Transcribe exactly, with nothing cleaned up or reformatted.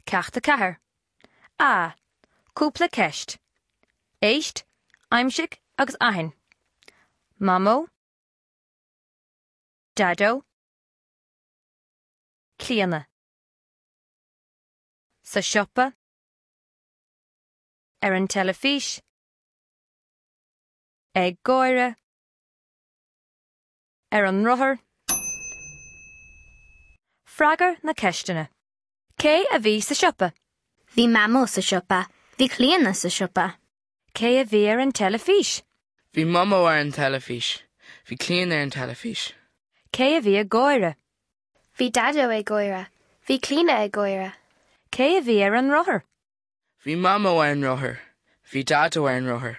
Ceacht a ceathair. A. Cúpla ceist. Éist, aimsigh agus aithin. Mamó. Daideo. Clíona. Sa siopa. Ar an teilifís. Ag gáire. Ar an rothar. Freagair na ceisteanna. Cé a bhí sa siopa? Bhí Mamó sa siopa, bhí Clíona sa siopa. Cé a bhí ar an teilifís? Bhí Mamó ar an teilifís, bhí Clíona ar an teilifís. Cé a bhí ag gáire? Bhí Daideo ag gáire, bhí Clíona ag gáire. Cé a bhí ar an rothar? Bhí Mamó ar an rothar, bhí Daideo ar an rothar.